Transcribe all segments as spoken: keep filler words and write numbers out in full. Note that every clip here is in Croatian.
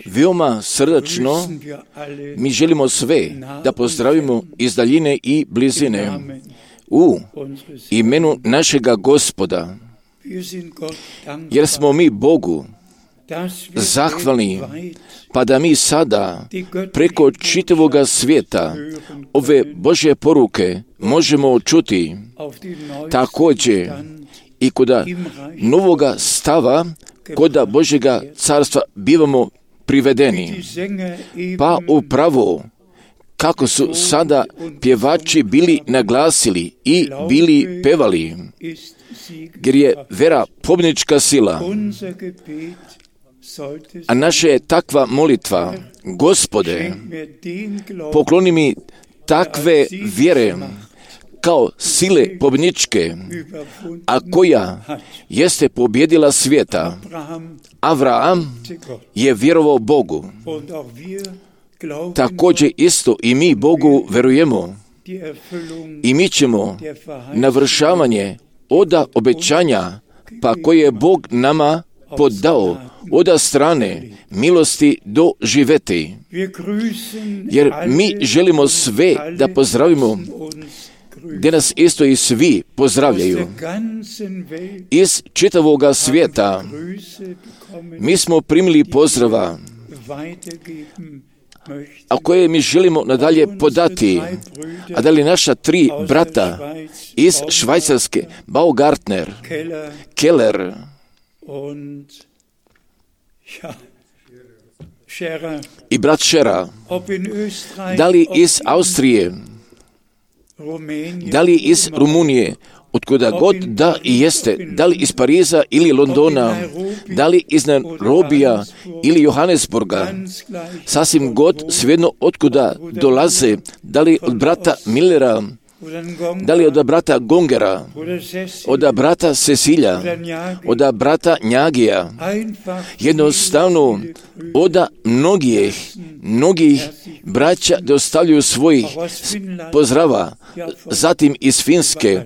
Veoma srdačno mi želimo sve da pozdravimo iz daljine i blizine u imenu našega Gospoda, jer smo mi Bogu zahvalni, pa da mi sada preko čitavoga svijeta ove Božje poruke možemo čuti također i kod novoga stava, kod Božjega carstva bivamo privedeni. Pa upravo kako su sada pjevači bili naglasili i bili pevali, jer je vera pobjednička sila, a naša je takva molitva: Gospode, pokloni mi takve vjere kao sile pobjedničke, a koja jeste pobjedila svijeta. Avraham je vjerovao Bogu. Također isto i mi Bogu verujemo. I mi ćemo navršavanje oda obećanja, pa koje je Bog nama podao od strane milosti doživjeti. Jer mi želimo sve da pozdravimo, gdje nas isto i svi pozdravljaju. Iz čitavoga svijeta mi smo primili pozdrava, a koje mi želimo nadalje podati. A da li naša tri brata iz Švajcarske, Baumgartner, Keller i brat Šera, da li iz Austrije, da li iz Rumunije, otkuda god da i jeste, da li iz Pariza ili Londona, da li iz Nairobija ili Johannesburga, sasvim god svejedno otkuda dolaze, da li od brata Millera, da li od brata Gongera, od brata Cecilja, od brata Njagija, jednostavno od mnogih, mnogih braća dostavljaju svojih pozdrava, zatim iz Finske,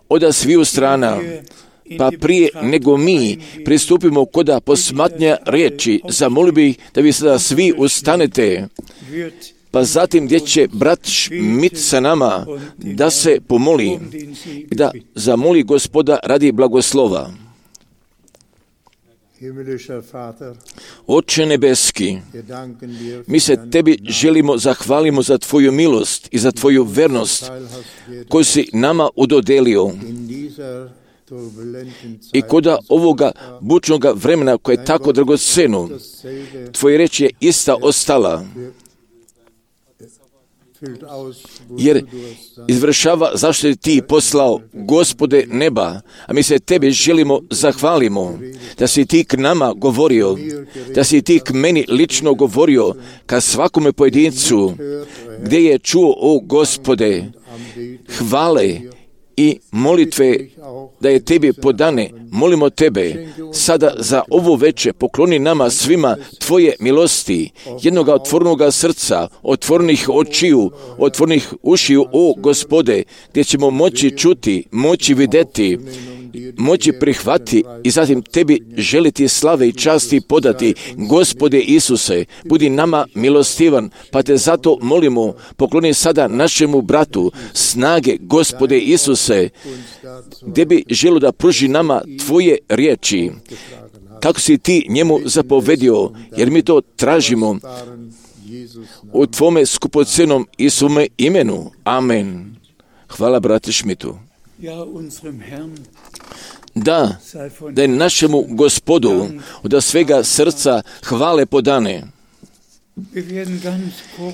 od sviju strana. Pa prije nego mi pristupimo kod posmatnja riječi, zamolio bih da vi sada svi ustanete, pa zatim gdje će brat Schmidt sa nama da se pomoli, da zamoli Gospoda radi blagoslova. Oče nebeski, mi se tebi želimo zahvalimo za tvoju milost i za tvoju vernost koju si nama udodelio. I kod ovoga bučnoga vremena koje je tako dragoceno, tvoja reč je ista ostala, jer izvršava zašto je ti poslao, Gospode neba, a mi se tebi želimo zahvalimo da si ti k nama govorio, da si ti k meni lično govorio, ka svakome pojedincu, gdje je čuo, o Gospode, hvale i molitve da je tebi podane, molimo Tebe sada za ovo veče, pokloni nama svima Tvoje milosti, jednoga otvornoga srca, otvornih očiju, otvornih ušiju, o Gospode, gdje ćemo moći čuti, moći vidjeti, moći prihvati i zatim Tebi želiti slave i časti podati. Gospode Isuse, budi nama milostivan, pa Te zato molimo, pokloni sada našemu bratu snage, Gospode Isuse, gdje bi želio da pruži nama Tvoje riječi, kako si Ti njemu zapovedio, jer mi to tražimo u Tvome skupocenom i svome imenu. Amen. Hvala brate Šmitu. Da, da je našemu Gospodu od svega srca hvale podane.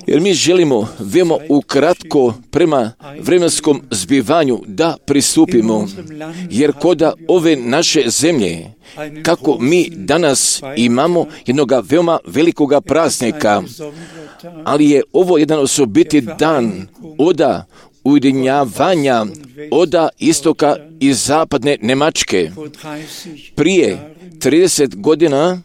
Jer mi želimo veoma ukratko prema vremenskom zbivanju da pristupimo, jer koda ove naše zemlje, kako mi danas imamo jednog veoma velikoga praznika, ali je ovo jedan osobiti dan oda ujedinjavanja oda istoka i zapadne Njemačke. Prije trideset godina,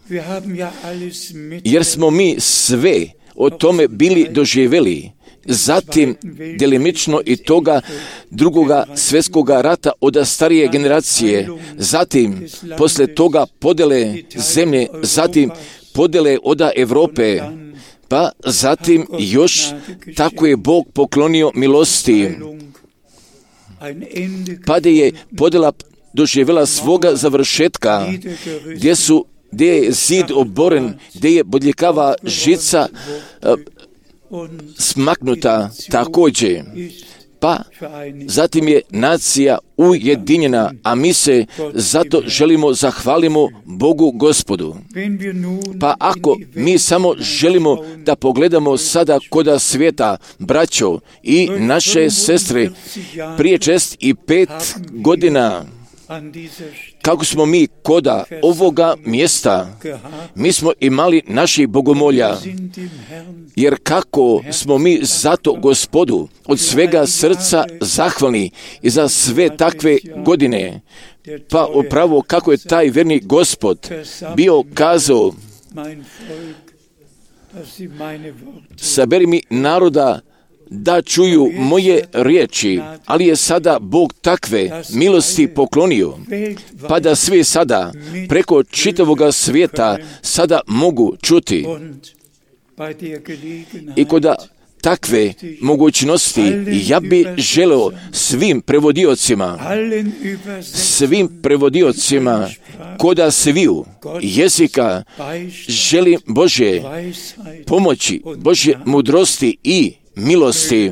jer smo mi sve o tome bili doživjeli, zatim delimično i toga drugoga svjetskoga rata od starije generacije, zatim posle toga podele zemlje, zatim podele oda Europe, pa zatim još tako je Bog poklonio milosti, pa da je podjela doživjela svoga završetka, gdje su gdje je zid oboren, gdje je bodljikava žica uh, smaknuta također. Pa zatim je nacija ujedinjena, a mi se zato želimo zahvalimo Bogu Gospodu. Pa ako mi samo želimo da pogledamo sada koda svijeta, braćo i naše sestre, prije čest i pet godina, kako smo mi koda ovoga mjesta, mi smo imali naših bogomolja, jer kako smo mi zato Gospodu od svega srca zahvalni i za sve takve godine, pa upravo kako je taj verni Gospod bio kazao, saberi mi naroda da čuju moje riječi, ali je sada Bog takve milosti poklonio, pa da svi sada preko čitavoga svijeta sada mogu čuti. I koda takve mogućnosti ja bi želeo svim prevodiocima, svim prevodiocima koda sviju jezika želim Bože pomoći, Bože mudrosti i milosti,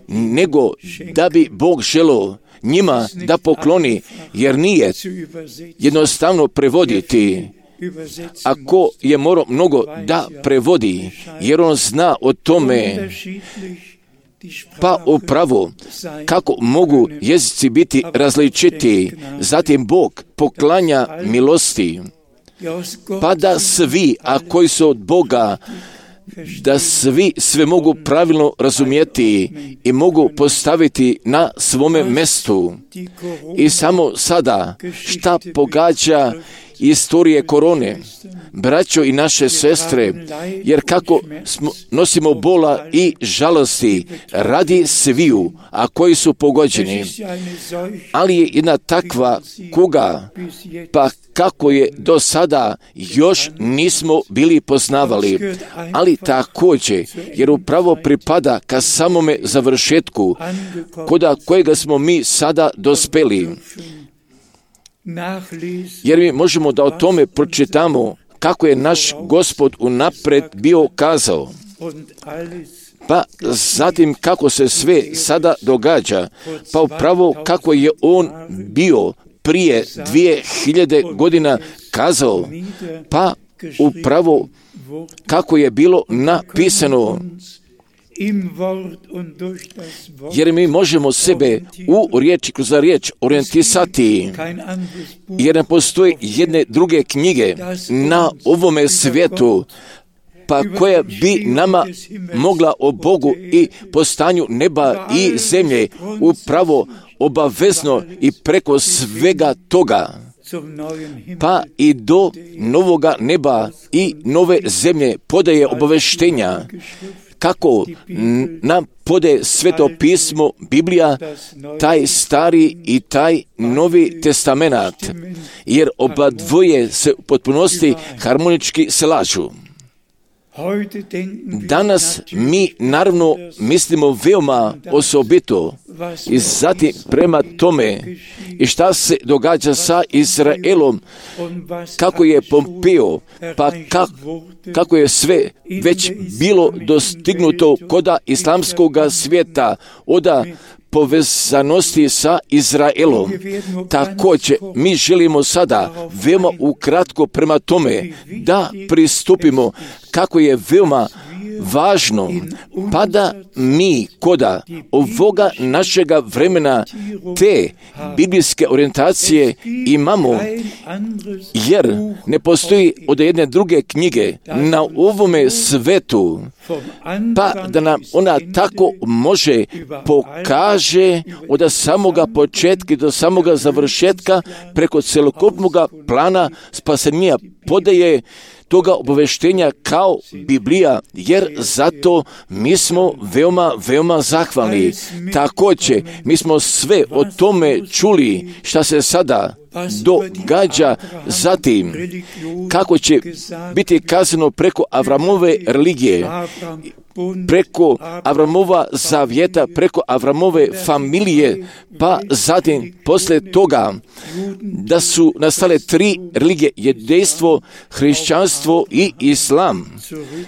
nego da bi Bog želeo njima da pokloni, jer nije jednostavno prevoditi. Ako je morao mnogo da prevodi, jer on zna o tome, pa upravo kako mogu jezici biti različiti, zatim Bog poklanja milosti, pa da svi, a koji su od Boga, da svi sve mogu pravilno razumjeti i mogu postaviti na svome mjestu. I samo sada šta pogađa istorije korone, braćo i naše sestre, jer kako smo, nosimo bola i žalosti radi sviju, a koji su pogođeni, ali je jedna takva kuga, pa kako je do sada još nismo bili poznavali, ali također, jer upravo pripada ka samome završetku, koda kojega smo mi sada dospeli. Jer mi možemo da o tome pročitamo kako je naš Gospod unapred bio kazao. Pa zatim kako se sve sada događa, pa upravo kako je on bio prije dvije hiljade godina kazao, pa upravo kako je bilo napisano. Jer mi možemo sebe u riječi kroz riječ orijentisati, jer ne postoji jedne druge knjige na ovome svijetu, pa koja bi nama mogla o Bogu i postanju neba i zemlje upravo obavezno i preko svega toga pa i do novoga neba i nove zemlje podaje obaveštenja, kako nam podaje Sveto pismo, Biblija, taj stari i taj novi testamenat, jer oba dvoje se u potpunosti harmonički slažu. Danas mi naravno mislimo veoma osobito i zatim prema tome i šta se događa sa Izraelom, kako je Pompeo, pa kako, kako je sve već bilo dostignuto koda islamskog svijeta, oda povezanosti sa Izraelom. Također, mi želimo sada veoma ukratko prema tome da pristupimo kako je veoma važno, pa da mi koda ovoga našega vremena te biblijske orijentacije imamo, jer ne postoji od jedne druge knjige na ovome svetu, pa da nam ona tako može pokaže od samoga početka do samoga završetka preko celokupnog plana spasenja podaje toga obaveštenja kao Biblija, jer zato mi smo veoma, veoma zahvalni. Također, mi smo sve o tome čuli šta se sada događa, zatim kako će biti kazano preko Avramove religije, preko Avramova zavjeta, preko Avramove familije, pa zatim poslije toga da su nastale tri religije, jedejstvo, hrišćanstvo i islam,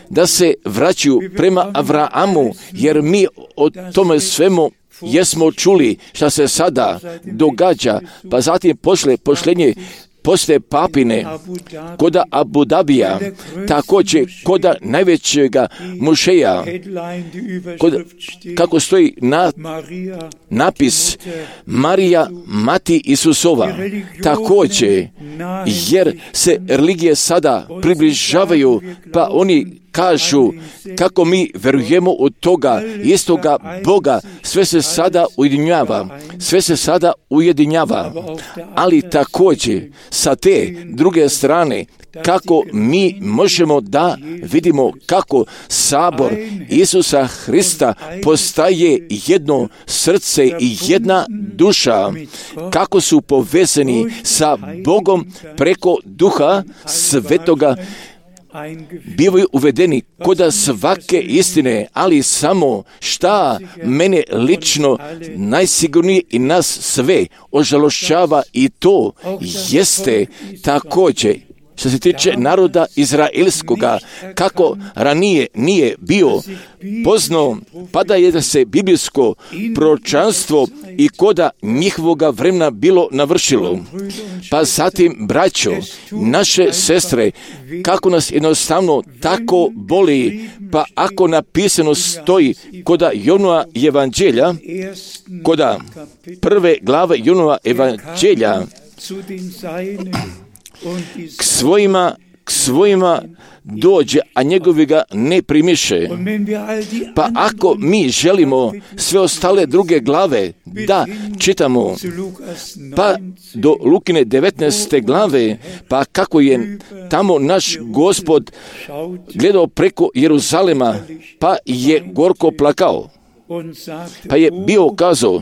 da se vraćaju prema Avramu, jer mi o tome svemu jesmo čuli šta se sada događa, pa zatim pošle pošlenje poslije papine, koda Abu Dabija, također koda najvećega mušeja, koda, kako stoji na, napis Marija, mati Isusova, također, jer se religije sada približavaju, pa oni kažu kako mi verujemo od toga istoga Boga, sve se sada ujedinjava, sve se sada ujedinjava, ali također sa te druge strane kako mi možemo da vidimo kako sabor Isusa Hrista postaje jedno srce i jedna duša, kako su povezani sa Bogom preko Duha Svetoga, bivaju uvedeni koda svake istine, ali samo šta mene lično najsigurnije i nas sve ožalošćava i to jeste također što se tiče naroda izraelskoga, kako ranije nije bio poznao, pa da je da se biblijsko proročanstvo i koda njihovoga vremena bilo navršilo. Pa zatim, braćo, naše sestre, kako nas jednostavno tako boli, pa ako napisano stoji koda Jonova evanđelja, koda prve glave Jonova evanđelja, k svojima, k svojima dođe, a njegovi ga ne primiše. Pa ako mi želimo sve ostale druge glave da čitamo, pa do Lukine devetnaeste glave, pa kako je tamo naš Gospod gledao preko Jeruzalema, pa je gorko plakao, pa je bio kazao,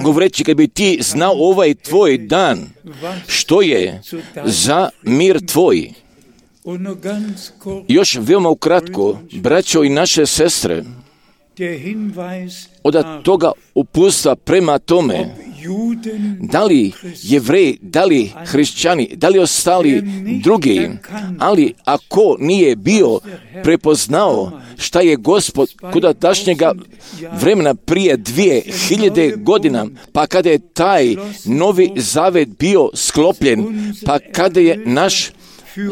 govoreći, kad bi ti znao ovaj tvoj dan, što je za mir tvoj. Još veoma ukratko, braćo i naše sestre, od toga uputstva prema tome, da li Jevreji, da li hrišćani, da li ostali drugi, ali ako nije bio prepoznao šta je Gospod kuda tašnjega vremena prije dvije hiljade godina, pa kada je taj novi zavet bio sklopljen, pa kada je naš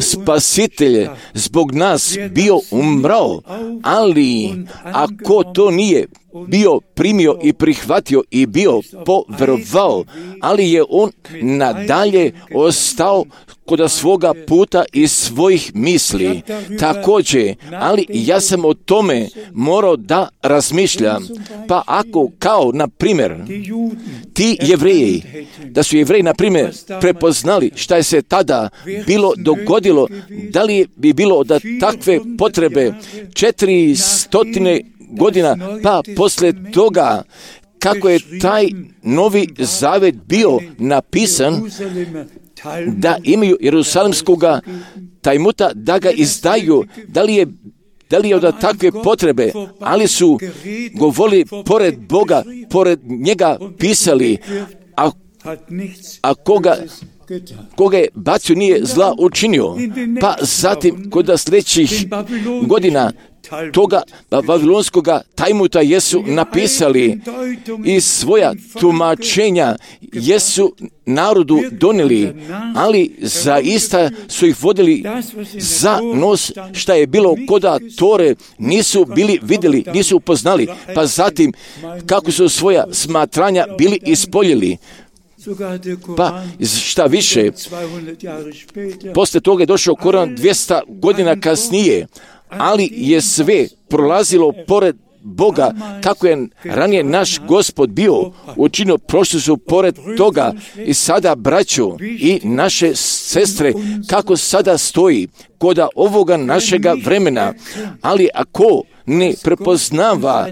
Spasitelj zbog nas bio umrao, ali ako to nije bio primio i prihvatio i bio poverovao, ali je on nadalje ostao kod svoga puta i svojih misli. Također, ali ja sam o tome morao da razmišljam. Pa ako, kao, na primjer, ti Jevreji, da su Jevreji, na primjer, prepoznali šta je se tada bilo dogodilo, da li bi bilo da takve potrebe četiri stotine godina, pa poslije toga, kako je taj Novi Zavet bio napisan, da imaju Jerusalemskoga tajmuta, da ga izdaju, da li je Da li je od takve potrebe, ali su govorili pored Boga, pored njega pisali, a, a koga, koga je bacio nije zla učinio. Pa zatim, kod sljedećih godina, toga babilonskoga tajmuta jesu napisali i svoja tumačenja jesu narodu donijeli, ali zaista su ih vodili za nos, šta je bilo koda Tore, nisu bili vidjeli, nisu upoznali, pa zatim kako su svoja smatranja bili ispoljili. Pa šta više, poslije toga je došao Koran dvjesto godina kasnije, ali je sve prolazilo pored Boga, kako je ranije naš Gospod bio učinio, prošli su pored toga i sada, braćo i naše sestre, kako sada stoji koda ovoga našega vremena, ali ako ne prepoznava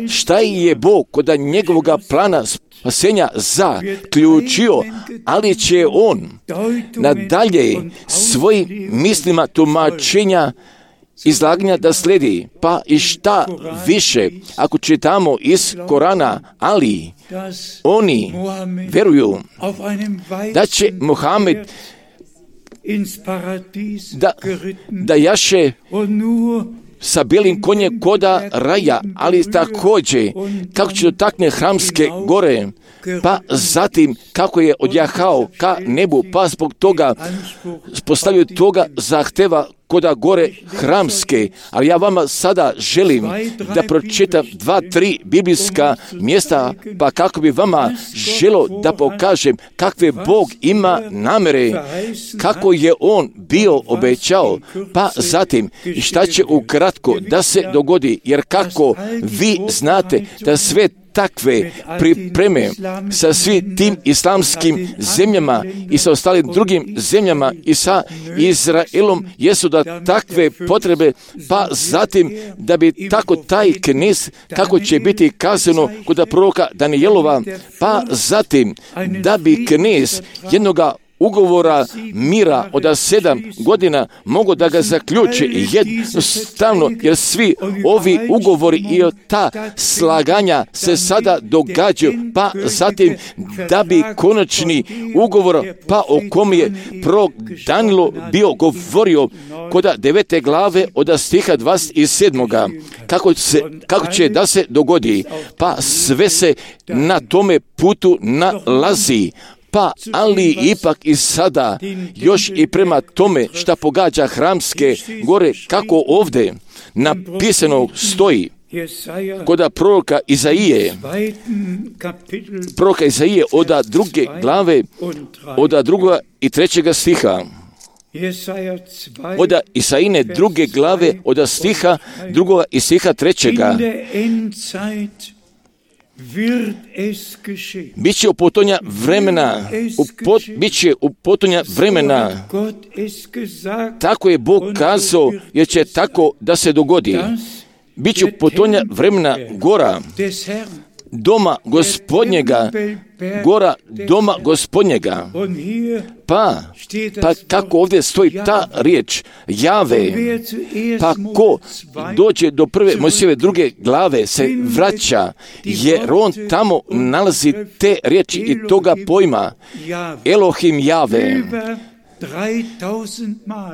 šta je Bog koda njegovoga plana spasenja zaključio, ali će on nadalje svojim mislima tumačenja izlaganja da slijedi, pa i šta više, ako čitamo iz Korana, ali oni veruju da će Muhammed da, da jaše sa bijelim konjem koda raja, ali također kako će dotakne Hramske gore, pa zatim kako je odjahao ka nebu, pa zbog toga postavio toga zahteva koda gore Hramske. Ali ja vama sada želim da pročitam dva, tri biblijska mjesta, pa kako bi vama želo da pokažem kakve Bog ima namere, kako je On bio obećao, pa zatim šta će ukratko da se dogodi, jer kako vi znate da sve takve pripreme sa svim tim islamskim zemljama i sa ostalim drugim zemljama i sa Izraelom jesu da takve potrebe, pa zatim da bi tako taj knez, kako će biti kazano kod proroka Danijelova, pa zatim da bi knez jednoga ugovora mira od sedam godina mogu da ga zaključi jednostavno, jer svi ovi ugovori i ta slaganja se sada događaju, pa zatim da bi konačni ugovor, pa o kom je prorok Danilo bio govorio kod devete glave od stiha dvadeset sedam. Kako, se, kako će da se dogodi, pa sve se na tome putu nalazi. Pa, ali ipak i sada, još i prema tome šta pogađa Hramske gore, kako ovdje napisano stoji, kod proroka Izaije, proroka Izaije od druge glave, od drugoga i trećega stiha, od Isaine druge glave, od stiha drugoga i stiha trećega, Biće u potonja vremena, u pot, biće u potonja vremena, tako je Bog kazao, jer će tako da se dogodi. Biće u potonja vremena gora, doma Gospodnjega, gora doma Gospodnjega. Pa, pa kako ovdje stoji ta riječ, Jave, pa ko dođe do prve Mojsijeve druge glave se vraća, jer on tamo nalazi te riječi i toga pojma, Elohim Jave.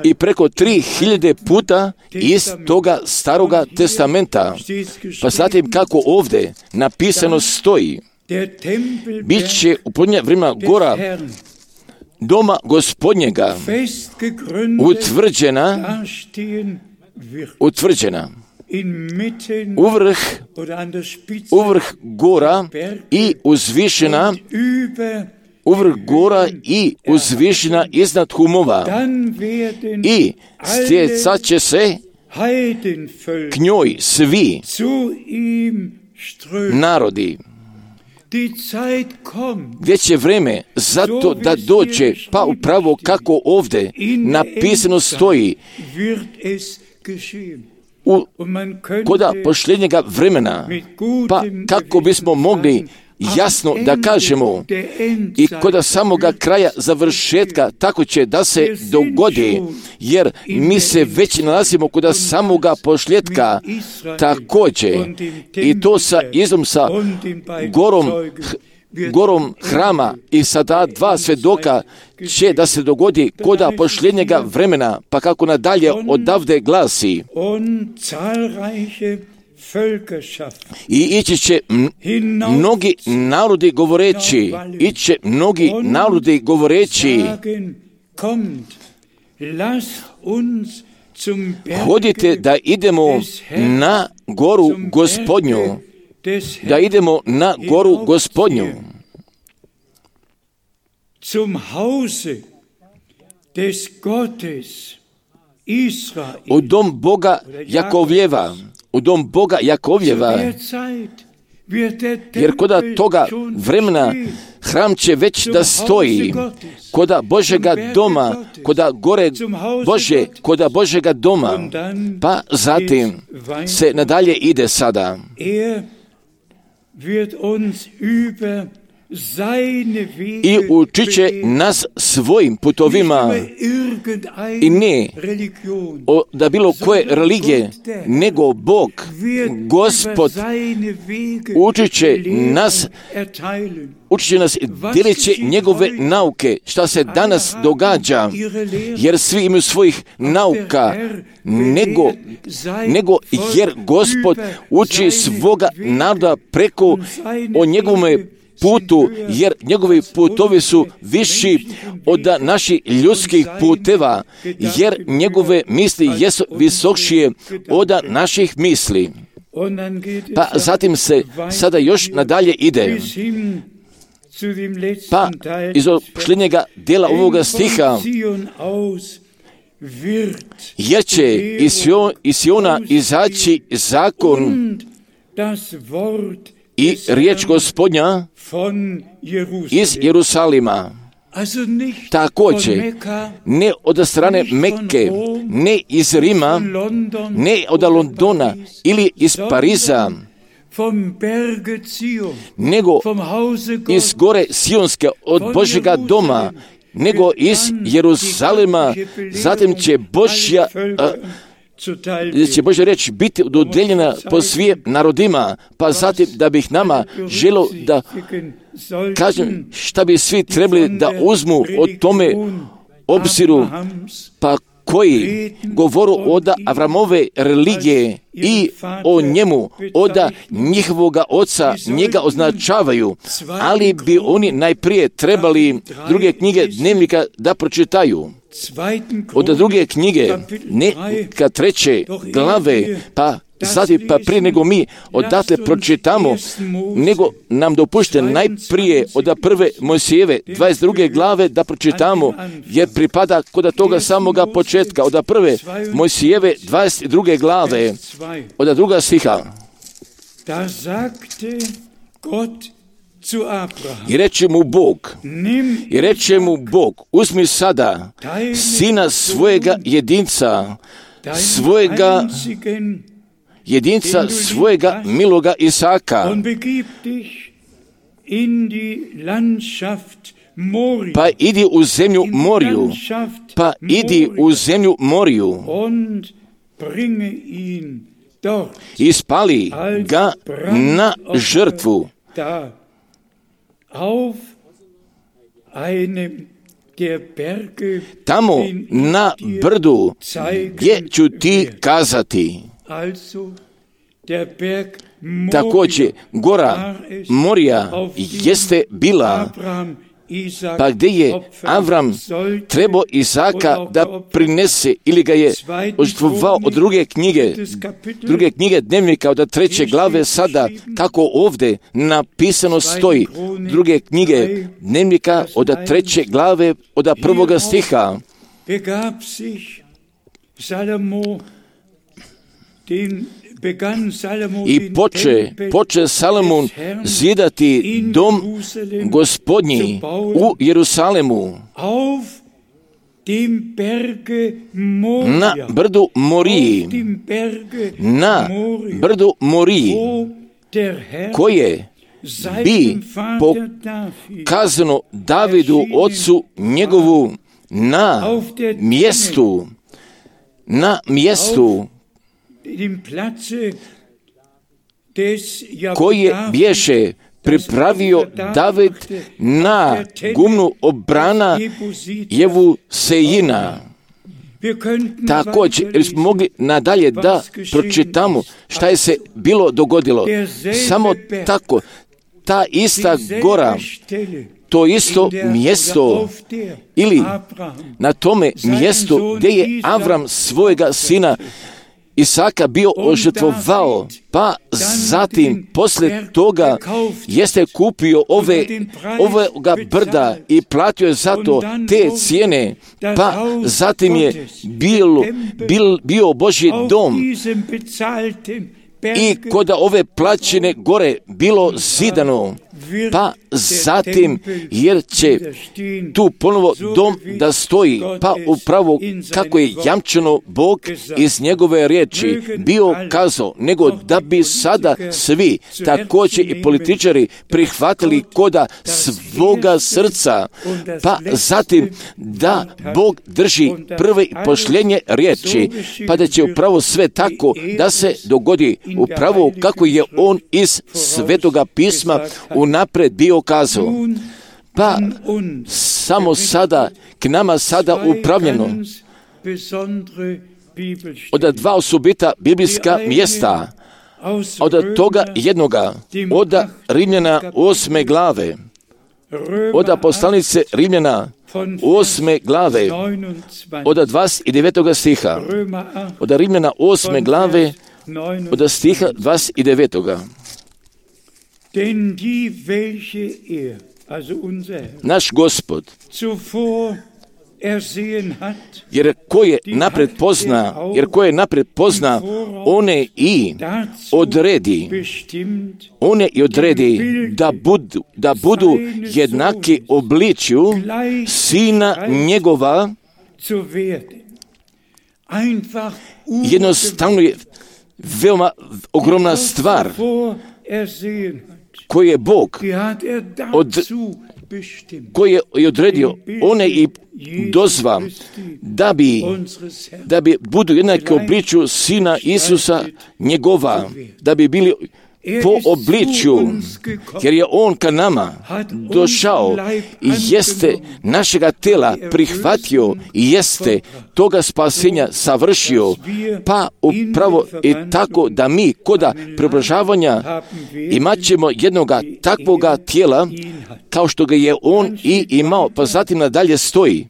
I preko tri hiljade puta iz toga staroga testamenta. Pa zatim kako ovdje napisano stoji, bit će u podnje vremena gora doma Gospodnjega utvrđena, utvrđena uvrh, uvrh gora i uzvišena uvrh gora i uzvišena iznad humova. I stjecat će se k njoj svi narodi. Gdje će vreme zato da dođe, pa upravo kako ovdje napisano stoji, u koda posljednjega vremena, pa kako bismo mogli jasno da kažemo i koda samoga kraja završetka, tako će da se dogodi, jer mi se već nalazimo koda samoga posljedka također, i to sa izom sa gorom gorom hrama i sa ta dva svjedoka će da se dogodi koda posljednjega vremena, pa kako nadalje odavde glasi. I ići će mnogi narodi govoreći, ići će mnogi narodi govoreći, hodite da idemo na goru Gospodnju, da idemo na goru Gospodnju, u dom Boga Jakovljeva, u dom Boga Jakovljeva, jer koda toga vremena hram će već da stoji, koda Božega doma, koda gore Bože, koda Božega doma, pa zatim se nadalje ide sada. I učit će nas svojim putovima i ne o, da bilo koje religije, nego Bog, Gospod, učit će nas, učit će nas, dijelit će njegove nauke, šta se danas događa, jer svi imaju svojih nauka, nego, nego jer Gospod uči svoga naroda preko o njegovome putu, jer njegovi putovi su viši od naših ljudskih puteva, jer njegove misli jesu visokšije od naših misli. Pa zatim se sada još nadalje ide. Pa iz posljednjega dijela ovoga stiha, jer će iz Siona izaći zakon i riječ Gospodnja iz Jerusalima. Također, ne od strane Mekke, ne iz Rima, ne od Londona ili iz Pariza, nego iz gore Sionske, od Božjega doma, nego iz Jeruzalema. Zatim će Božja će Božja riječ biti dodeljena po svim narodima, pa zatim da bih nama želio da kažem šta bi svi trebali da uzmu o tome obziru, pa koji govoru od Avramove religije i o njemu, od njihovoga oca njega označavaju, ali bi oni najprije trebali druge knjige dnevnika da pročitaju. Od druge knjige, ne ka treće glave, pa zatim pa prije nego mi odatle pročitamo, nego nam dopušte najprije od prve Mojsijeve dvadeset druge glave da pročitamo, jer pripada kod toga samoga početka, od prve Mojsijeve dvadeset druge glave, od druga stiha. I reče mu Bog, i reče mu Bog, uzmi sada sina svojega jedinca, svojega jedinca, svojega miloga Isaka, pa idi u zemlju Moriju, pa idi u zemlju Moriju i spali ga na žrtvu. Tamo na brdu gdje ću ti kazati. Također, gora Morija jeste bila Pa gdje je Avram trebao Isaka da prinese ili ga je ožrtvovao od druge knjige, druge knjige dnevnika od treće glave sada, kako ovdje napisano stoji, druge knjige dnevnika od treće glave od prvoga stiha. I poče, poče Salomon zidati dom Gospodnji u Jerusalemu na brdu Moriji, na brdu Moriji, koje bi pokazano Davidu ocu njegovu na mjestu, na mjestu koje bješe pripravio David na gumnu obrana Jebusejina. Također, jer smo mogli nadalje da pročitamo šta je se bilo dogodilo. Samo tako, ta ista gora, to isto mjesto ili na tome mjestu gdje je Avram svojega sina Isaka bio ožrtvovao, pa zatim poslije toga jeste kupio ove, ovoga brda i platio je za to te cijene, pa zatim je bil, bil, bio Božji dom i kod ove plaćene gore bilo zidano, pa zatim jer će tu ponovo dom da stoji, pa upravo kako je jamčeno Bog iz njegove riječi bio kazao, nego da bi sada svi također i političari prihvatili koda svoga srca, pa zatim da Bog drži prve i posljednje riječi, pa da će upravo sve tako da se dogodi upravo kako je on iz Svetoga pisma unaprijed bio kazao. Pa samo sada, k nama sada upravljeno od dva osobita biblijska mjesta, od toga jednoga, od Rimljana osme glave, od poslanice Rimljana osme glave, od dvadeset devetoga stiha, od Rimljana osme glave, od stiha dvadeset devetoga. Naš Gospod, jer ko je napred pozna, jer ko je napred pozna, one i odredi, one i odredi da budu, da budu jednaki obličju sina njegova. Jednostavno je veoma ogromna stvar koji je Bog od, koji je odredio, one i dozva da bi, da bi budu jednaki obličju sina Isusa njegova, da bi bili po obličju, jer je on ka nama došao i jeste našega tela prihvatio i jeste toga spasenja savršio, pa upravo i tako da mi koda preobražavanja imat ćemo jednoga takvoga tijela kao što ga je on i imao, pa zatim nadalje stoji.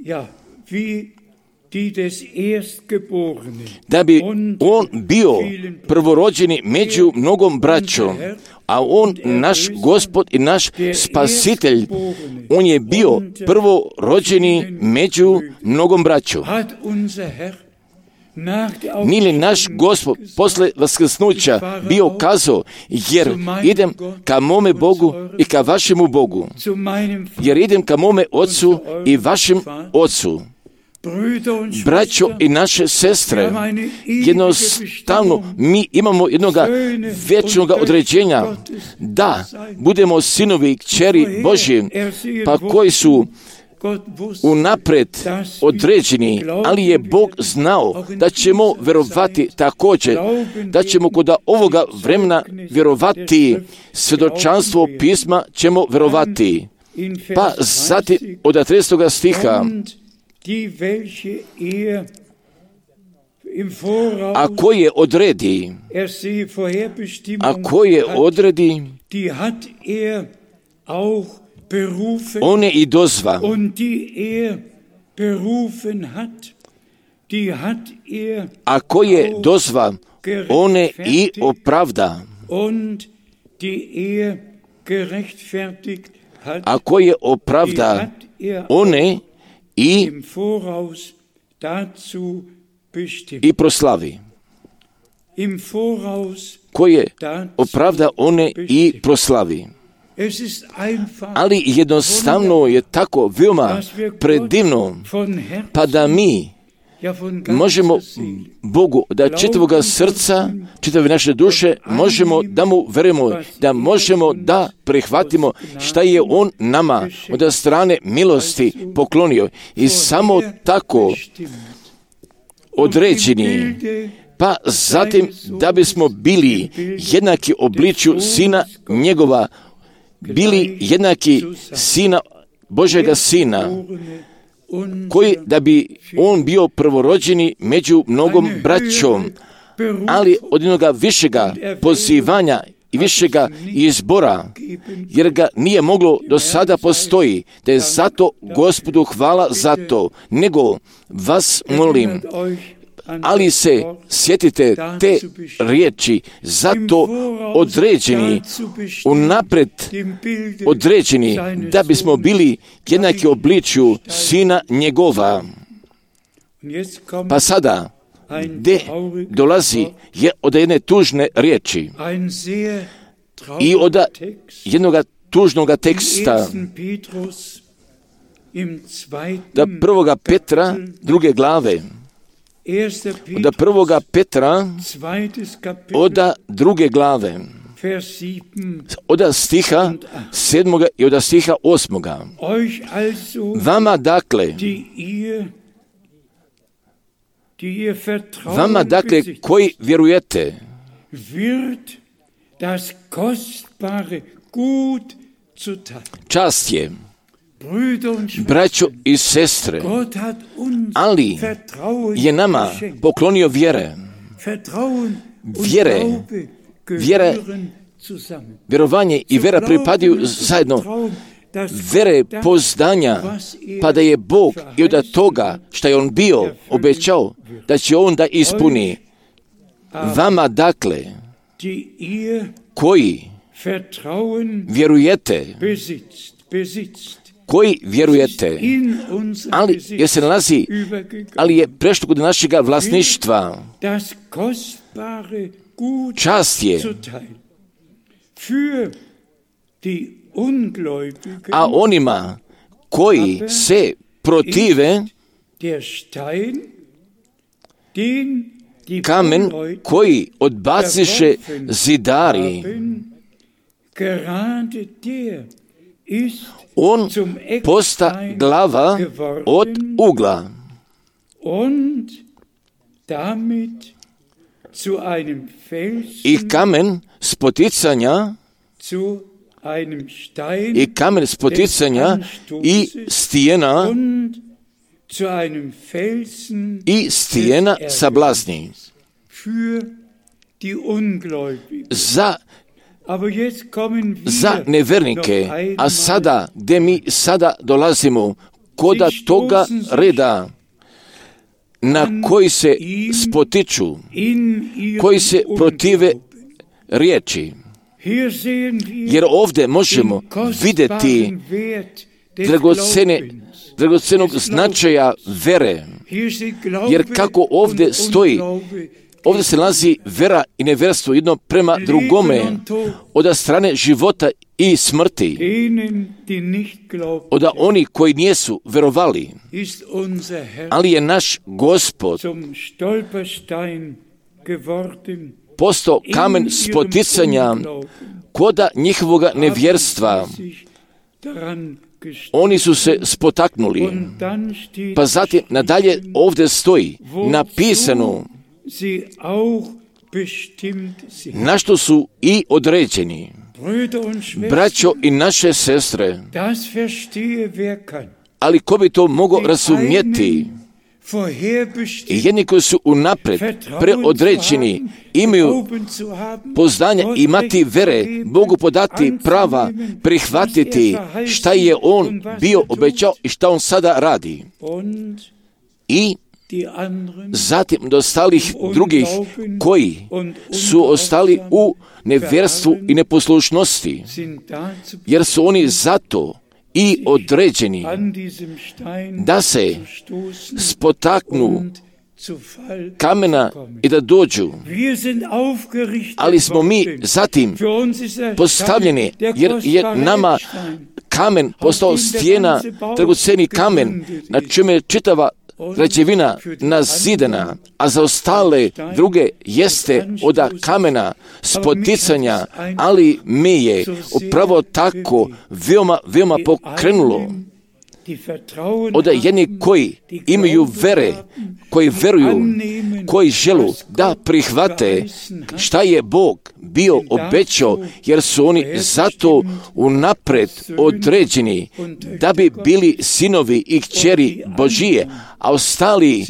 Ja, wie die des Erstgeborenen. Da bi on bio prvorođeni među mnogom braćom, a on, naš Gospod i naš Spasitelj, on je bio prvorođeni među mnogom braćom. Nije li naš Gospod posle vaskrsnuća bio kazao, jer idem ka mome Bogu i ka vašemu Bogu, jer idem ka mome Ocu i vašem Ocu. Braćo i naše sestre, jednostavno mi imamo jednog vječnog određenja da budemo sinovi i kćeri Božji, pa koji su unapred određeni, ali je Bog znao da ćemo vjerovati također, da ćemo kod ovoga vremena vjerovati, svjedočanstvo pisma ćemo vjerovati. Pa zatim od tridesetoga stiha a koje odredi, a koje odredi, one i dozva, a koje dozva, one i opravda, a koje opravda, one i i proslavi, koje opravda, one i proslavi. Ali jednostavno je tako veoma predivno, pa da mi možemo Bogu da čitavoga srca, čitave naše duše, možemo da mu verujemo, da možemo da prihvatimo šta je On nama od strane milosti poklonio. I samo tako određeni, pa zatim da bismo bili jednaki obličju Sina njegova, bili jednaki Sina, Božjega Sina, koji da bi on bio prvorođeni među mnogom braćom, ali od jednoga višega pozivanja i višega izbora, jer ga nije moglo do sada postoji, da je zato Gospodu hvala za to, nego vas molim, ali se sjetite te riječi, zato određeni, unapred određeni, da bismo bili jednaki obličju Sina njegova. Pa sada, gdje dolazi je od jedne tužne riječi i od jednog tužnog teksta, da prvoga Petra, druge glave, od prvoga Petra, od druge glave, od stiha sedmoga i od stiha osmoga. Vama dakle, vama dakle koji vjerujete, čast je, braćo i sestre, ali je nama poklonio vjere, vjere, vjere, vjerovanje i vjera pripadaju zajedno, vjere poznanja, pa da je Bog i od toga što je On bio obećao da će On da ispuni. Vama dakle, koji vjerujete, koji vjerujete, ali je se nalazi, ali je prešlo kod našega vlasništva. Čast je, a onima koji se protive, kamen koji odbaciše zidari, on posta glava od ugla i kamen spoticanja i kamen spoticanja i stijena i stijena sablazni za za nevernike. A sada, gdje mi sada dolazimo koda toga reda na koji se spotiču, koji se protive riječi. Jer ovdje možemo vidjeti dragocene, dragocenog značaja vere. Jer kako ovdje stoji, ovdje se nalazi vera i nevjerstvo jedno prema drugome, od strane života i smrti, od oni koji nisu verovali, ali je naš Gospod postao kamen spoticanja koda njihovoga nevjerstva. Oni su se spotaknuli. Pa zatim nadalje ovdje stoji napisano na što su i određeni. Braćo i naše sestre, ali ko bi to mogao razumjeti? I jedni koji su unapred preodređeni, imaju poznanja, imati vere, Bogu podati prava, prihvatiti šta je On bio obećao i šta On sada radi. I zatim do ostalih drugih koji su ostali u nevjerstvu i neposlušnosti, jer su oni zato i određeni da se spotaknu kamena i da dođu. Ali smo mi zatim postavljeni, jer je nama kamen postao stijena, dragocjeni kamen, na čemu je čitava građevina nazidana, a za ostale druge jeste od kamena spoticanja, ali me je upravo tako veoma, veoma pokrenulo. Od jedni koji imaju vere, koji veruju, koji želu da prihvate šta je Bog bio obećao, jer su oni zato unapred određeni da bi bili sinovi i kćeri Božije, a ostali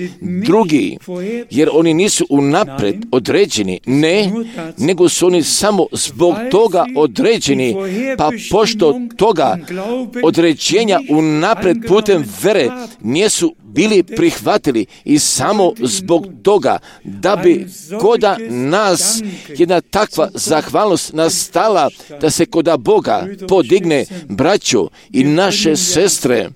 drugi, jer oni nisu unapred određeni, ne, nego su oni samo zbog toga određeni, pa pošto toga određenja unapred putem vere nisu bili prihvatili i samo zbog toga da bi koda nas jedna takva zahvalnost nastala, da se koda Boga podigne braćo i naše sestre,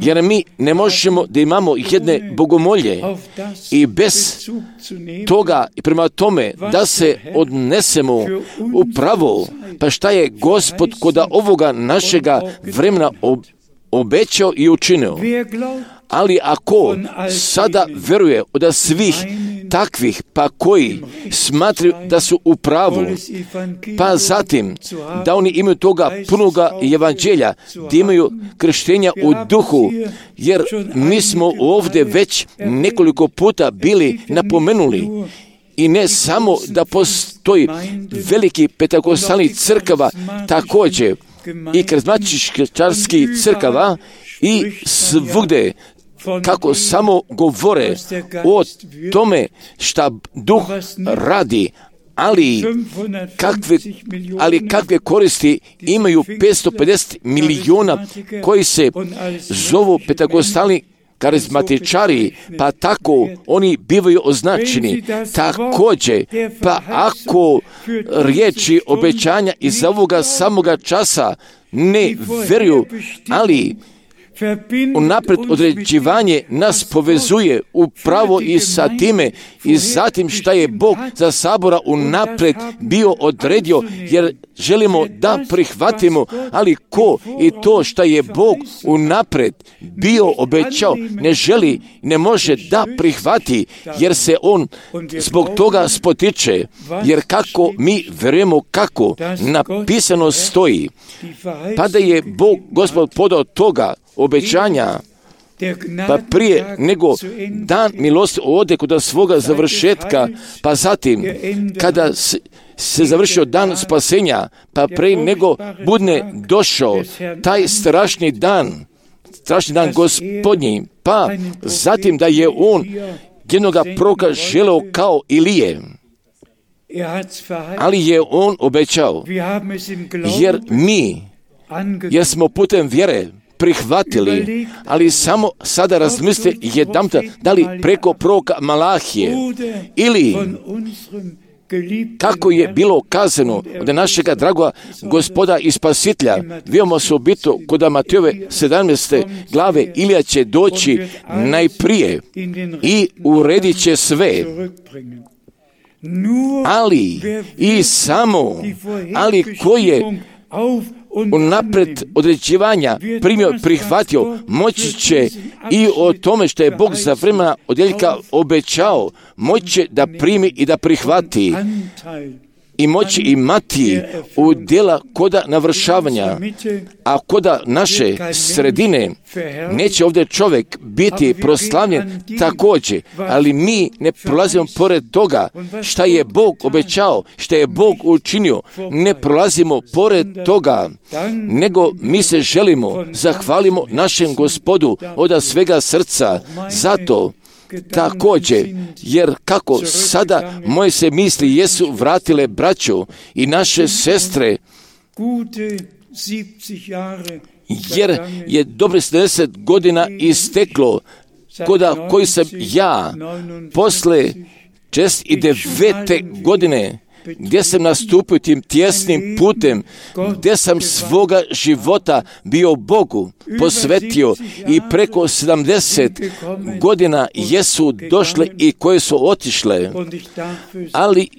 jer mi ne možemo da imamo jedne bogomolje i bez toga i prema tome da se odnesemo upravo, pa šta je Gospod koda ovoga našega vremena obećao i učinio. Ali ako sada veruje od svih takvih, pa koji smatraju da su u pravu, pa zatim da oni imaju toga punoga evanđelja, da imaju krštenja u duhu, jer mi smo ovdje već nekoliko puta bili napomenuli, i ne samo da postoji veliki pentakostalni crkava, također i karizmatičkih crkava i svugdje, kako samo govore o tome šta duh radi, ali kakve, ali kakve koristi imaju petsto pedeset milijuna koji se zovu pentakostalni karizmatičari, pa tako oni bivaju označeni. Također, pa ako riječi obećanja iz ovoga samoga časa ne vjeruju, ali unapred određivanje nas povezuje upravo i sa time i zatim šta je Bog za sabora unapred bio odredio, jer želimo da prihvatimo, ali ko i to šta je Bog unapred bio obećao ne želi, ne može da prihvati, jer se on zbog toga spotiče, jer kako mi verujemo kako napisano stoji, pa da je Bog Gospod podao toga obećanja, pa prije nego dan milosti ode kod svoga završetka, pa zatim kada se, se završio dan spasenja, pa prije nego budne došao taj strašni dan, strašni dan Gospodnji, pa zatim da je on jednoga proroka želeo kao Ilije, ali je on obećao, jer mi, jer smo putem vjere prihvatili, ali samo sada razmislite jedanputa, da li preko proroka Malahije ili kako je bilo kazano od našega dragoga Gospoda i Spasitelja, veoma osobito kod Matejove sedamnaeste glave, Ilija će doći najprije i uredit će sve. Ali i samo, ali koji je unapred određivanja primio, prihvatio, moći će i o tome što je Bog za vremena odjeljka obećao, moći će da primi i da prihvati. i moći imati u djela koda navršavanja, a koda naše sredine neće ovdje čovjek biti proslavljen također, ali mi ne prolazimo pored toga šta je Bog obećao, šta je Bog učinio, ne prolazimo pored toga, nego mi se želimo, zahvalimo našem Gospodu od svega srca, zato također, jer kako sada moje se misli jesu vratile braću i naše sestre, jer je dobro sedamdeset godina isteklo, koda koji sam ja posle šezdeset devete godine, gdje sam nastupio tim tjesnim putem, gdje sam svoga života bio Bogu posvetio i preko sedamdeset godina jesu došle i koje su otišle, ali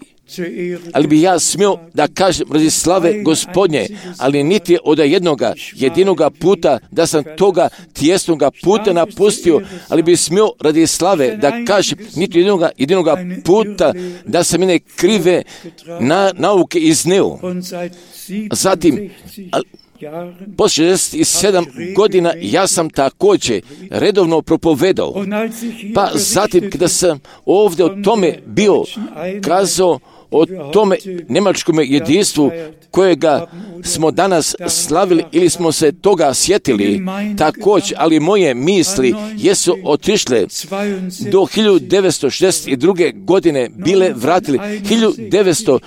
ali bi ja smio da kažem radi slave Gospodnje, ali niti od jednoga jedinoga puta da sam toga tjesnoga puta napustio, ali bi smio radi slave da kažem niti jedinoga jedinoga puta da sam mene krive na, nauke izneo. Zatim, poslije šezdeset sedam godina ja sam također redovno propovedao. Pa zatim kada sam ovdje o tome bio kazao, o tome njemačkom jedinstvu kojega smo danas slavili ili smo se toga sjetili također, ali moje misli jesu otišle do hiljadu devetsto šezdeset druge. godine bile vratili. hiljadu devetsto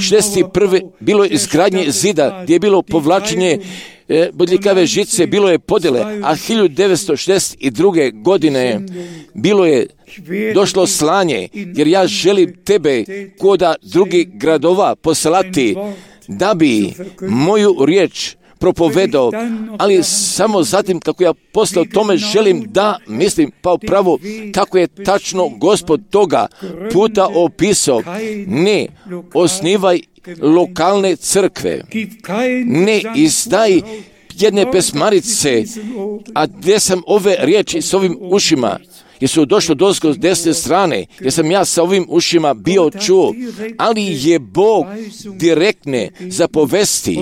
šezdeset prve. bilo je izgradnje zida gdje je bilo povlačenje e, bodljikave žice, bilo je podjele, a hiljadu devetsto šezdeset druge. godine bilo je došlo slanje, jer ja želim tebe koda drugih gradova poslati da bi moju riječ propovedao, ali samo zatim kako ja posle o tome želim da mislim pa upravo kako je tačno Gospod toga puta opisao. Ne osnivaj lokalne crkve, ne izdaj jedne pesmarice, a gdje sam ove riječi s ovim ušima, jer su došli dosko s desne strane, jer sam ja sa ovim ušima bio čuo, ali je Bog direktne zapovesti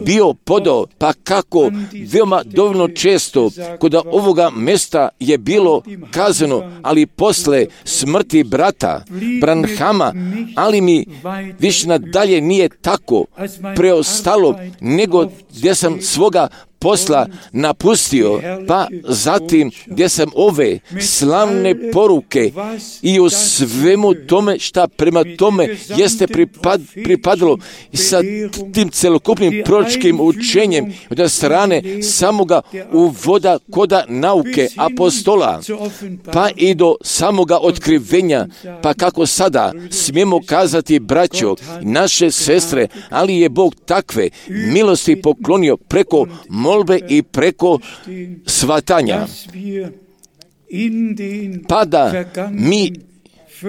bio podao, pa kako veoma dovoljno često kod ovoga mjesta je bilo kazano, ali posle smrti brata Branhama, ali mi više nadalje nije tako preostalo, nego gdje sam svoga posla napustio, pa zatim gdje sam ove slavne poruke i u svemu tome šta prema tome jeste pripad, pripadalo sa tim celokupnim proročkim učenjem od strane samoga uvoda koda nauke apostola, pa i do samoga otkrivenja, pa kako sada smijemo kazati braćo, naše sestre, ali je Bog takve milosti poklonio preko molbe i preko svatanja. Pa da mi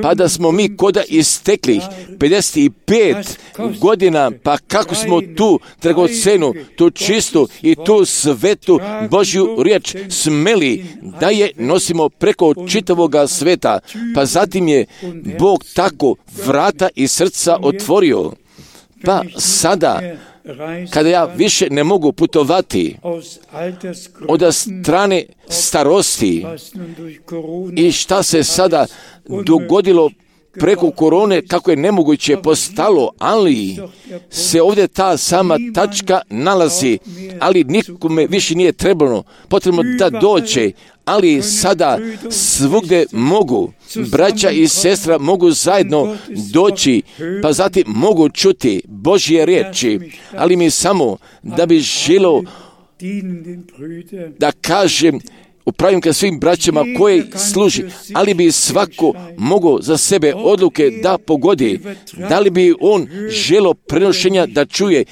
pa da smo mi koda istekli pedeset pet godina, pa kako smo tu dragocenu, tu čistu i tu svetu Božju riječ smeli da je nosimo preko čitavoga sveta, pa zatim je Bog tako vrata i srca otvorio. Pa sada kada ja više ne mogu putovati od strane starosti i šta se sada dogodilo preko korone, kako je nemoguće postalo, ali se ovdje ta sama tačka nalazi, ali nikome više nije trebalo, potrebno da dođe, ali sada svugdje mogu, braća i sestra mogu zajedno doći, pa zatim mogu čuti Božje riječi, ali mi samo da bi želio da kažem, upravim ka svim braćama koji služi, ali bi svako mogao za sebe odluke da pogodi, da li bi on želo prenošenja da čuje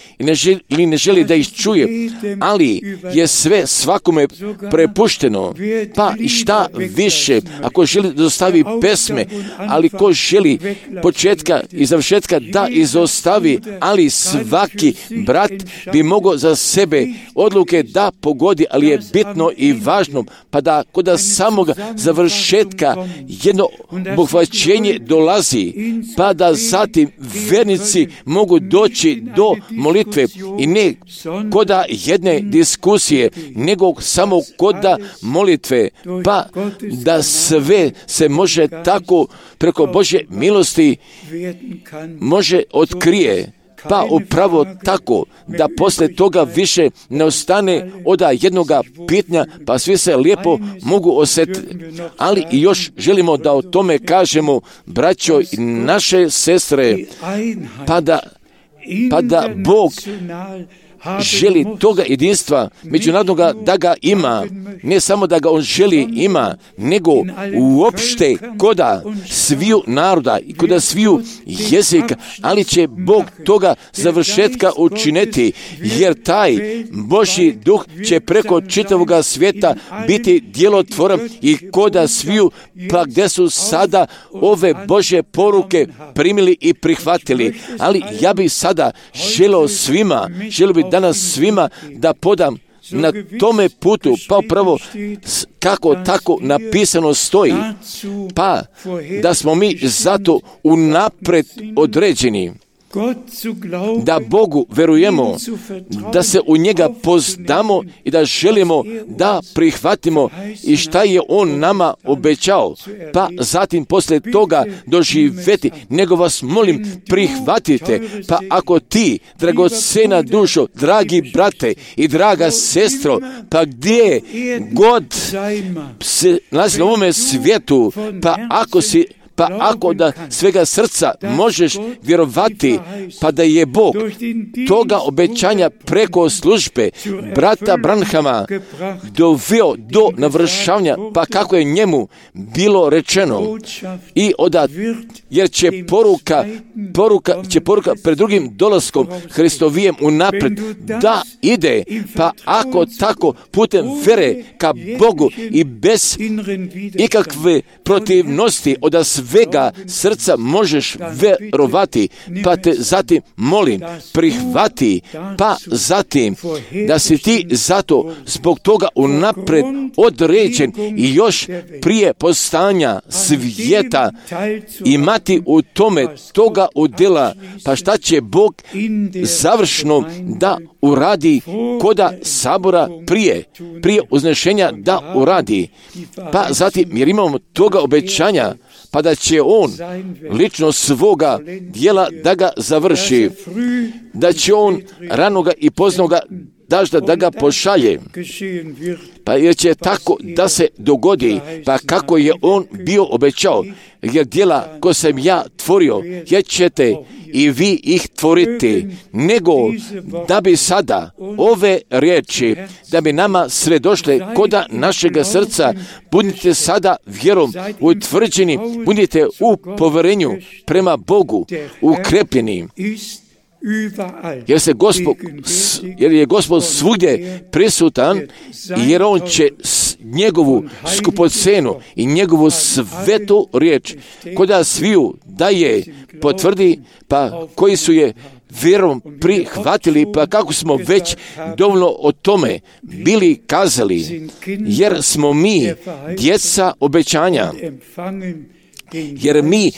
ili ne želi da ih čuje, ali je sve svakome prepušteno, pa i šta više, ako želi da dostavi pesme, ali ko želi početka i završetka da izostavi, ali svaki brat bi mogao za sebe odluke da pogodi, ali je bitno i važno pa da kod samog završetka jedno obuhvaćenje dolazi, pa da zatim vernici mogu doći do molitve i ne kod jedne diskusije, nego samo kod molitve, pa da sve se može tako preko Božje milosti može otkrije. Pa upravo tako da poslije toga više ne ostane od jednoga pitanja, pa svi se lijepo mogu osjetiti. Ali i još želimo da o tome kažemo, braćo i naše sestre, pa da, pa da Bog želi toga jedinstva međunarodnoga da ga ima, ne samo da ga on želi ima, nego uopšte koda sviju naroda i koda sviju jezika, ali će Bog toga završetka učiniti, jer taj Božji duh će preko čitavoga svijeta biti djelotvoran i koda sviju, pa gdje su sada ove Božje poruke primili i prihvatili. Ali ja bih sada želio svima, želio bih danas svima da podam na tome putu, pa upravo kako tako napisano stoji, pa da smo mi zato unaprijed određeni, da Bogu verujemo, da se u njega poznamo i da želimo da prihvatimo i šta je on nama obećao, pa zatim poslije toga doživjeti, nego vas molim prihvatite, pa ako ti, dragocena dušo, dragi brate i draga sestro, pa gdje god se nalazi na ovome svijetu, pa ako si Pa ako da svega srca možeš vjerovati, pa da je Bog toga obećanja preko službe brata Branhama doveo do navršavanja, pa kako je njemu bilo rečeno, i odat, jer će poruka, poruka, će poruka pred drugim dolaskom Hristovijem unaprijed da ide, pa ako tako putem vere ka Bogu i bez ikakve protivnosti od svega srca možeš verovati, pa te zatim molim, prihvati, pa zatim da si ti zato zbog toga unaprijed određen i još prije postanja svijeta imati u tome toga udjela, pa šta će Bog završno da uradi koda sabora prije, prije uznešenja da uradi, pa zatim jer imamo toga obećanja, pa da će on lično svoga djela da ga završi, da će on ranoga i poznoga dažda da ga pošalje, pa jer će tako da se dogodi, pa kako je on bio obećao, jer djela ko sam ja tvorio, jer ćete i vi ih tvoriti, nego da bi sada ove riječi, da bi nama sve došle koda našega srca, budite sada vjerom utvrđeni, budite u povjerenju prema Bogu ukrepljeni, jer se Gospod, jer je Gospod svugdje prisutan, jer on će njegovu skupocenu i njegovu svetu riječ koda sviju daje potvrdi, pa koji su je vjerom prihvatili, pa kako smo već dovoljno o tome bili kazali, jer smo mi djeca obećanja, jer mi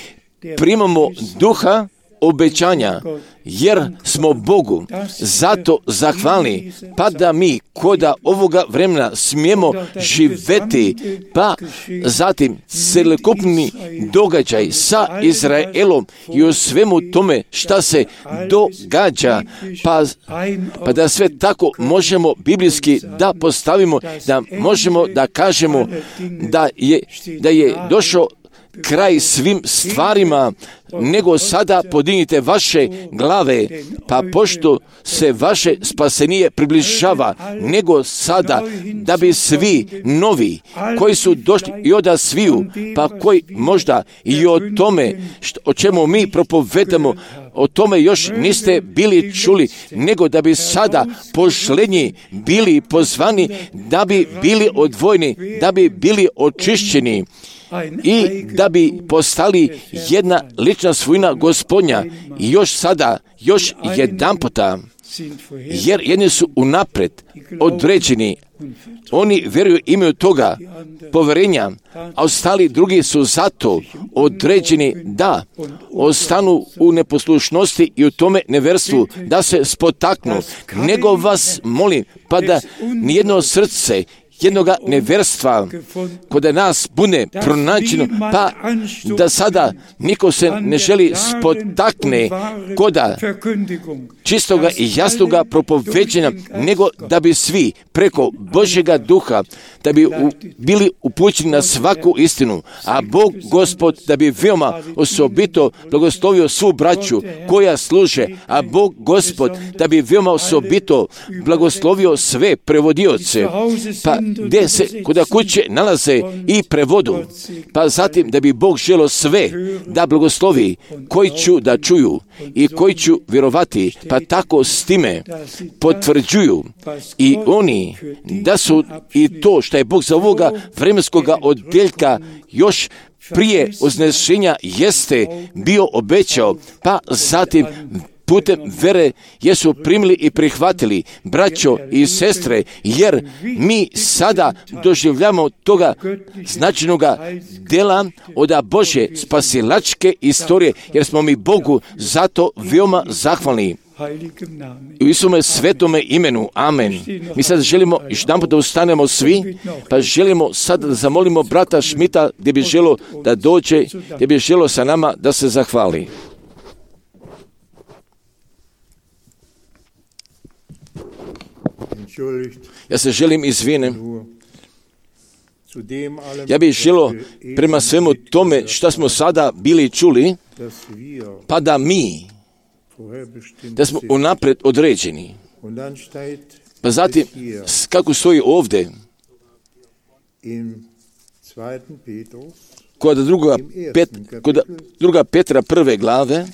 primamo duha obećanja, jer smo Bogu zato zahvalni, pa da mi koda ovoga vremena smijemo živjeti, pa zatim celokupni događaj sa Izraelom i u svemu tome šta se događa, pa, pa da sve tako možemo biblijski da postavimo, da možemo da kažemo da je, da je došao kraj svim stvarima, nego sada podignite vaše glave, pa pošto se vaše spasenije približava, nego sada da bi svi novi koji su došli i oda sviju, pa koji možda i o tome što, o čemu mi propovedamo, o tome još niste bili čuli, nego da bi sada pošlenji bili pozvani, da bi bili odvojeni, da bi bili očišćeni i da bi postali jedna lična svojina Gospodnja. I još sada, još jedan puta, jer jedni su unaprijed određeni, Oni vjeruju, imaju toga povjerenja, a ostali drugi su zato određeni da ostanu u neposlušnosti i u tome neverstvu, da se spotaknu. Nego vas molim, pa da nijedno srce jednoga neverstva kod nas bude pronađeno, pa da sada niko se ne želi spotakne koda čistoga i jasnoga propoveđenja, nego da bi svi preko Božjega duha, da bi u, bili upućeni na svaku istinu, a Bog Gospod da bi veoma osobito blagoslovio svu braću koja služe, a Bog Gospod da bi veoma osobito blagoslovio sve prevodioce, pa gdje se kod kuće nalaze i prevodu, pa zatim da bi Bog želio sve da blagoslovi koji ću da čuju i koji ću vjerovati, pa tako s time potvrđuju i oni da su i to što je Bog za ovoga vremenskoga odjeljka još prije uznešenja jeste bio obećao, pa zatim putem vere jesu primili i prihvatili, braćo i sestre, jer mi sada doživljamo toga značajnoga dela od Božje spasilačke istorije, jer smo mi Bogu zato veoma zahvalni. U Isome svetome imenu, amen. Mi sad želimo još jedanput da ustanemo svi, pa želimo sad da zamolimo brata Šmita gdje bi želo da dođe, gdje bi želo sa nama da se zahvali. Ja se želim izvinem. Ja bih želio prema svemu tome što smo sada bili čuli, pa da mi, da smo unaprijed određeni. Pa zatim, kako stoji ovdje, kod druga, pet, kod druga Petra prve glave,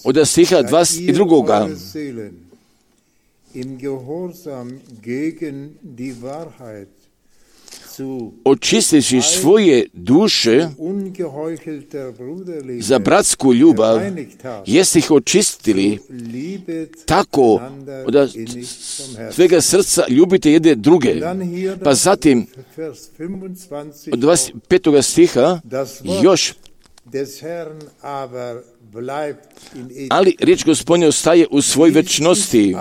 od stiha dvadeset dva. Očisteći svoje duše za bratsku ljubav, jeste ih očistili tako da svega srca ljubite jedne druge. Pa zatim od dvadeset petog stiha još ali riječ Gospodnja ostaje u svoj večnosti.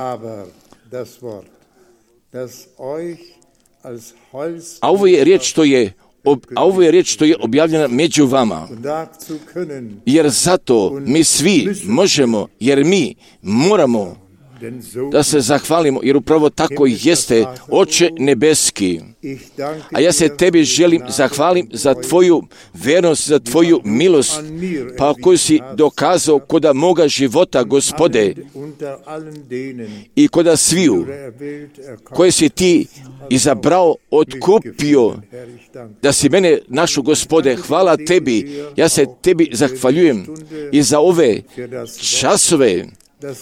A ovo je riječ što je a ovo je riječ što je objavljena među vama. Jer zato mi svi možemo, jer mi moramo da se zahvalimo, jer upravo tako jeste, Oče nebeski. A ja se tebi želim zahvalim za tvoju vernost, za tvoju milost, pa koju si dokazao koda moga života, Gospode, i koda sviju koje si ti izabrao, otkupio, da si mene našo, Gospode. Hvala tebi, ja se tebi zahvaljujem i za ove časove,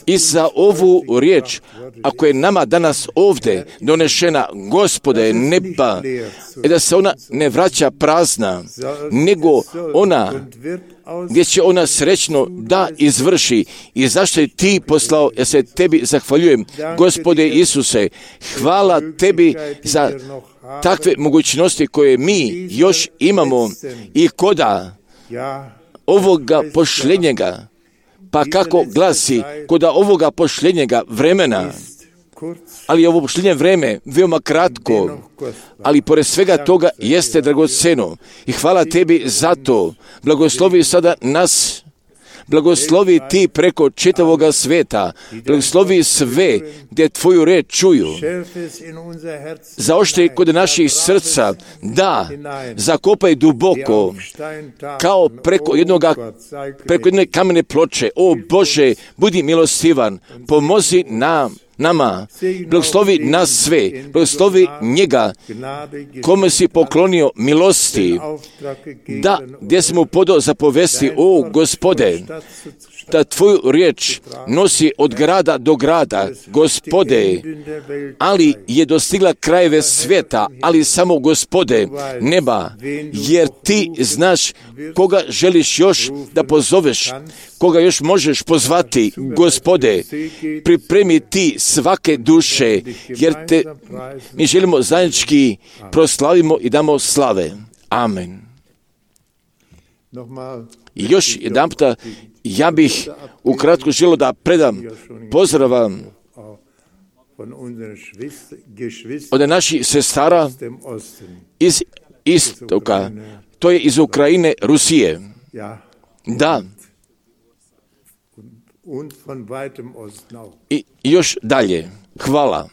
i za ovu riječ, ako je nama danas ovdje donešena, Gospode, neba, i da se ona ne vraća prazna, nego ona, gdje će ona srećno da izvrši. I zašto je ti poslao, ja se tebi zahvaljujem, Gospode Isuse, hvala tebi za takve mogućnosti koje mi još imamo i koda ovoga pošljenjega. Pa kako glasi, koda ovoga pošljenjega vremena, ali ovo pošljenje vreme veoma kratko, ali pored svega toga jeste dragoceno. I hvala tebi za to. Blagoslovi sada nas, blagoslovi ti preko čitavoga sveta, blagoslovi sve gdje tvoju reč čuju. Zaoštri kod naših srca, da zakopaj duboko, kao preko jednoga, preko jedne kamene ploče. O Bože, budi milostivan, pomozi nam, nama, blagoslovi nas sve, blagoslovi njega, kome si poklonio milosti, da gdje smo podao zapovesti, o Gospode, da tvoju riječ nosi od grada do grada, Gospode, ali je dostigla krajeve svijeta, ali samo Gospode, neba, jer ti znaš koga želiš još da pozoveš, koga još možeš pozvati, Gospode, pripremi ti svake duše, jer te mi želimo zajednički proslavimo i damo slave. Amen. I još jedan puta, ja bih ukratko želio da predam pozdravam od naših sestara iz istoka, to je iz Ukrajine, Rusije. Da. I još dalje. Hvala.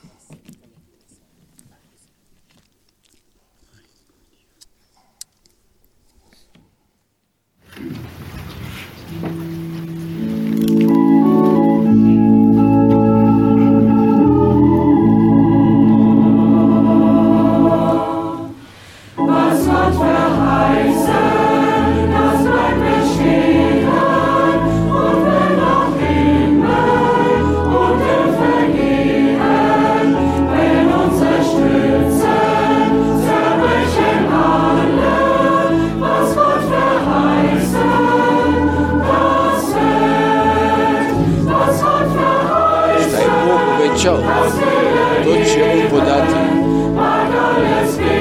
To će on podati,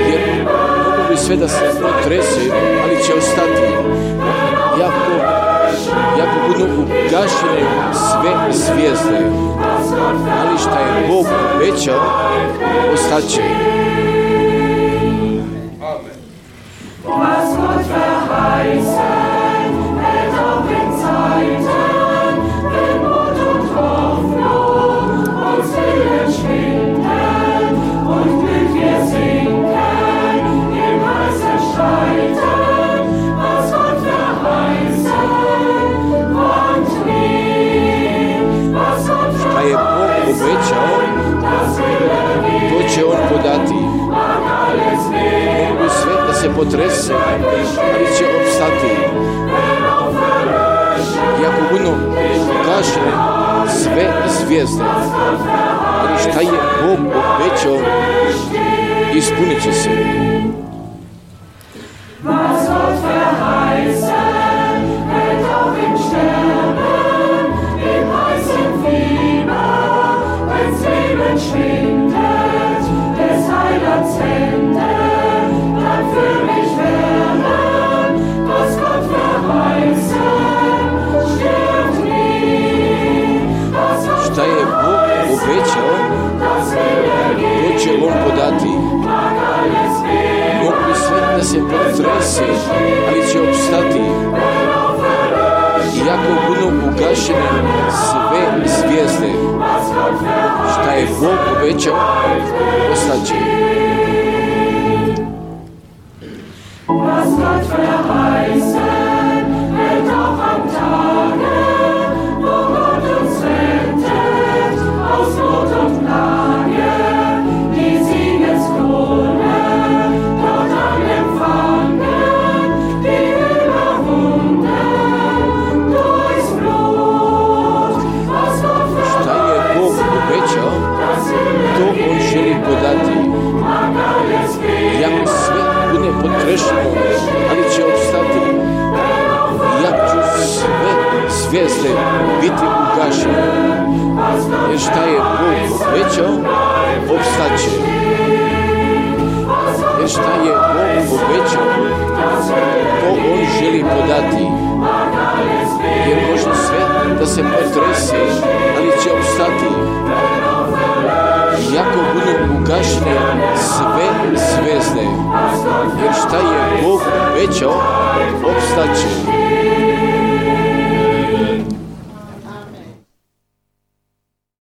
jer mogu bi sve da se potrese, ali će ostati. Jako, jako budu ugašene sve zvijezde, ali šta je Bog obećao, ostaće. Obećao, to će on podati. Mogu sve da se potrese, ali će opstati. Jako budu ugašene sve zvijezde, ali šta je Bog obećao, ispunit će se. Schwindet, des Heilands Hände, dann für mich werden, was Gott verheißen, stirbt nie. Šta je Bog obećao, to će on podati. Mogu sve da se potrese, ali će opstati. Iako budu ugašene sve zvijezde, šta je Bog obećao, ostaće. Was Gott verheißen, wird auch am Tage, wo Gott uns rettet, aus Not und Plage, die Siegeskrone dort an empfangen, die überwunden durchs Blut. Was Gott obećao, to on želi podati. Iako sve bude potrešeno, ali će opstati. Iako će sve zvijezde biti ugašene. Jer šta je Bog obećao, opstaće. Jer šta je Bog obećao, to on želi podati. Jer može sve da se potrese, ali će opstati. Iako budu ugašene sve zvijezde, jer šta je Bog obećao, opstaće.